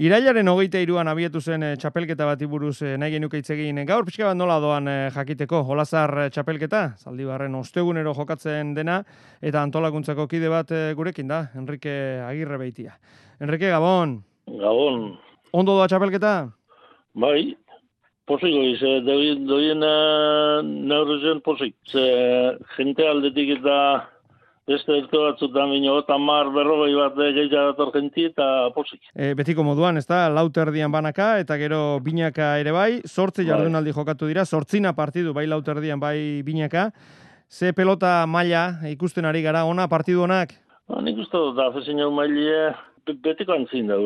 Irailaren 23an abietu zen txapelketa bati buruz nahi genuke hitz egin. Gaur pixka bat nola doan jakiteko, Olazar txapelketa, Zaldibarren ostegunero jokatzen dena, eta antolakuntzako kide bat gurekin da, Enrique Agirre Beitia. Enrique, Gabon. Gabon. Ondo doa txapelketa? Bai, posiko ize, doien neurrezen posik. Ze jente aldetik eta beste ezko batzutan bino, tamar berrogei bat gehiago dator jenti eta posik. Betiko moduan, ez da, lauterdian banaka, eta gero binaka ere bai, 8 jardunaldi jokatu dira, 8 partidu, bai lauterdian, bai binaka. Ze pelota maila ikusten ari gara, ona, partidu onak? Nik uste dut, afezin jau mailie, betiko antzin da.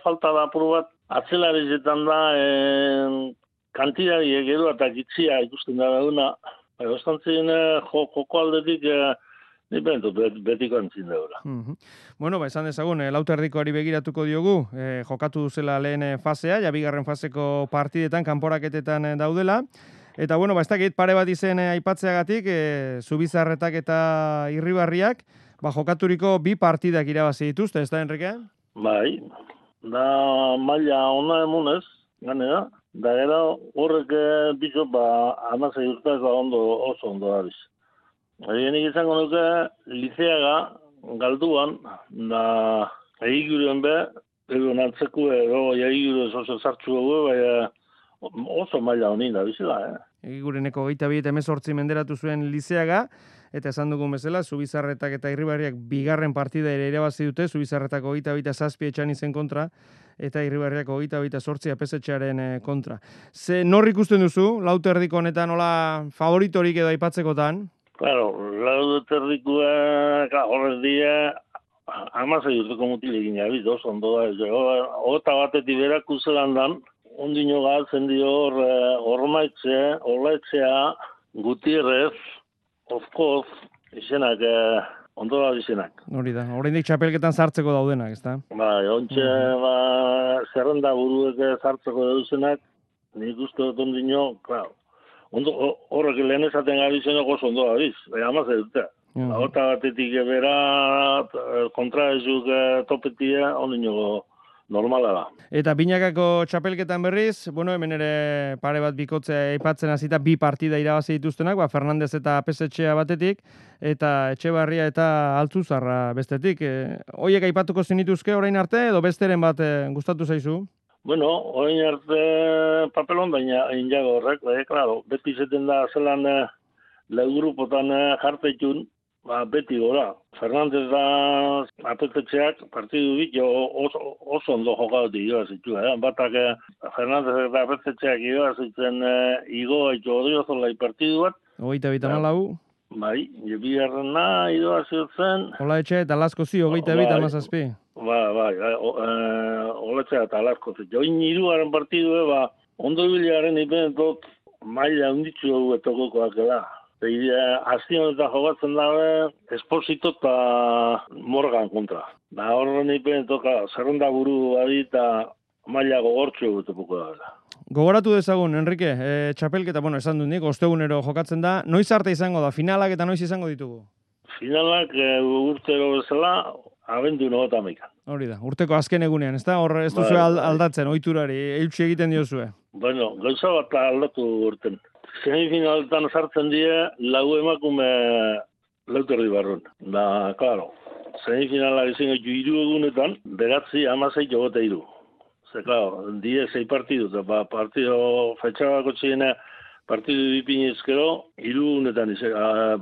Falta da apur bat, atzelarezetan da, kantidari egeru eta gitzia ikusten da dauna. Ostantzien joko aldetik, ni bentu betiko antzin da. Bueno, esan dezagun, lauterdikoari begiratuko diogu, jokatu duzela lehen fasea, ja bigarren faseko partidetan, kanporaketetan daudela. Eta, bueno, ez dakit pare bat izen aipatzeagatik, Zubizarretak eta Irribarriak, jokaturiko 2 partidak irabazi dituzte, ez da, Enrique? Bai, da maila ona emunez, gane da. Da gero horrek bizo, amazai urtaz oso ondo dabiz. Egenik izango nuke, liceaga, galduan, da egiguren egon hartzeko edo egiguren oso zartxu dugu, oso maila honin da bizela, Egigureneko 22 menderatu zuen liceaga, eta esan dugun bezala, Zubizarretak eta Irribarriak bigarren partida ere irabazi dute, Zubizarretak 27 etxan izen kontra, eta Irribarriak 28 apesetxearen kontra. Ze nor ikusten duzu, lauterdiko honetan nola favoritorik edo aipatzekotan? Claro, lauterdikoa horrez dira, amazai urteko mutilekin jabiz, oso ondo da. Ota batetik berak uzelandan, ondino galtzen dio ormaitzea, olaetzea, Gutierrez, Ozkoz, izenak, ondo da izenak. Hori da, oraindik txapelketan sartzeko daudenak, ez da? Bai, ontxe, zerrenda buruek sartzeko dauzenak, nik uste dut ondino, claro. Horrek lehen esaten gabi zenok oso ondo gabiz, amazai dute. Ota batetik bera, kontra ezuk topetia, ondino normala da. Eta binakako txapelketan berriz, bueno, hemen ere pare bat bikotzea aipatzen hasita 2 partida irabazi dituztenak, Fernandez eta Apesetxea batetik, eta Etxebarria eta Altzuzarra bestetik. Hoiek aipatuko zenituzke orain arte, edo besteren bat gustatu zaizu? Bueno, orain arte papelon, baina injago horrek, claro, beti zeten da zelan lau grupotan jartetxun, beti gora. Fernandez da Apesetxeak partidu bit, oso ondo jokadutik irabazitu. Batak Fernandez eta Apesetxeak irabazitzen igoa itxo odriozolai partidu bat. 24. Bai, bigarrena irabazitzen. Olaetxe eta Laskozi 22-17. Bai, Olaetxe eta Laskozi. Join hirugarren partidu, ondo bilearen ipenetot maila hunditzu dugu etokokoak da. Azien eta jokatzen dabe, Esposito eta Morgan kontra. Da horren ipenetoka, zerrenda buru badi eta maila gogortzu egutepuko da. Gogoratu dezagun, Enrique, txapelketa, esan dut nik, ostegunero jokatzen da. Noiz arte izango da, finalak eta noiz izango ditugu? Finalak urtero bezala, abendu 21. Hori da, urteko azken egunean, ez da? Hor ez duzu aldatzen, ohiturari, eutsi egiten diozue. Bueno, gauza bat aldatu urten. Semifinaletan sartzen dira, lau emakume lauterdi barrun. Da, klaro, semifinalak izango 3 egunetan, 9-16 jogote 3. Ze, klaro, 6 partidu, eta partido fetxabako txigena, partidu dipinezkero, 3 egunetan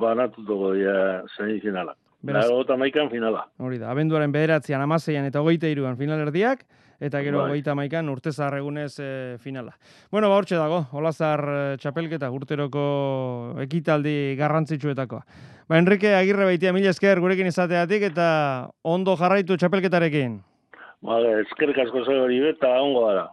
banatutuko dira semifinalak. Eta maikan finala. Hori da, abenduaren 9an, 16an eta 23an finalerdiak, eta gero 31an urtezar egunez finala. Bueno, hortxe dago, Olazar txapelketa, urteroko ekitaldi garrantzitsuetakoa. Enrique Agirre Beitia, mila esker gurekin izateatik, eta ondo jarraitu txapelketarekin. Eskerrik asko zehori eta ongo gara.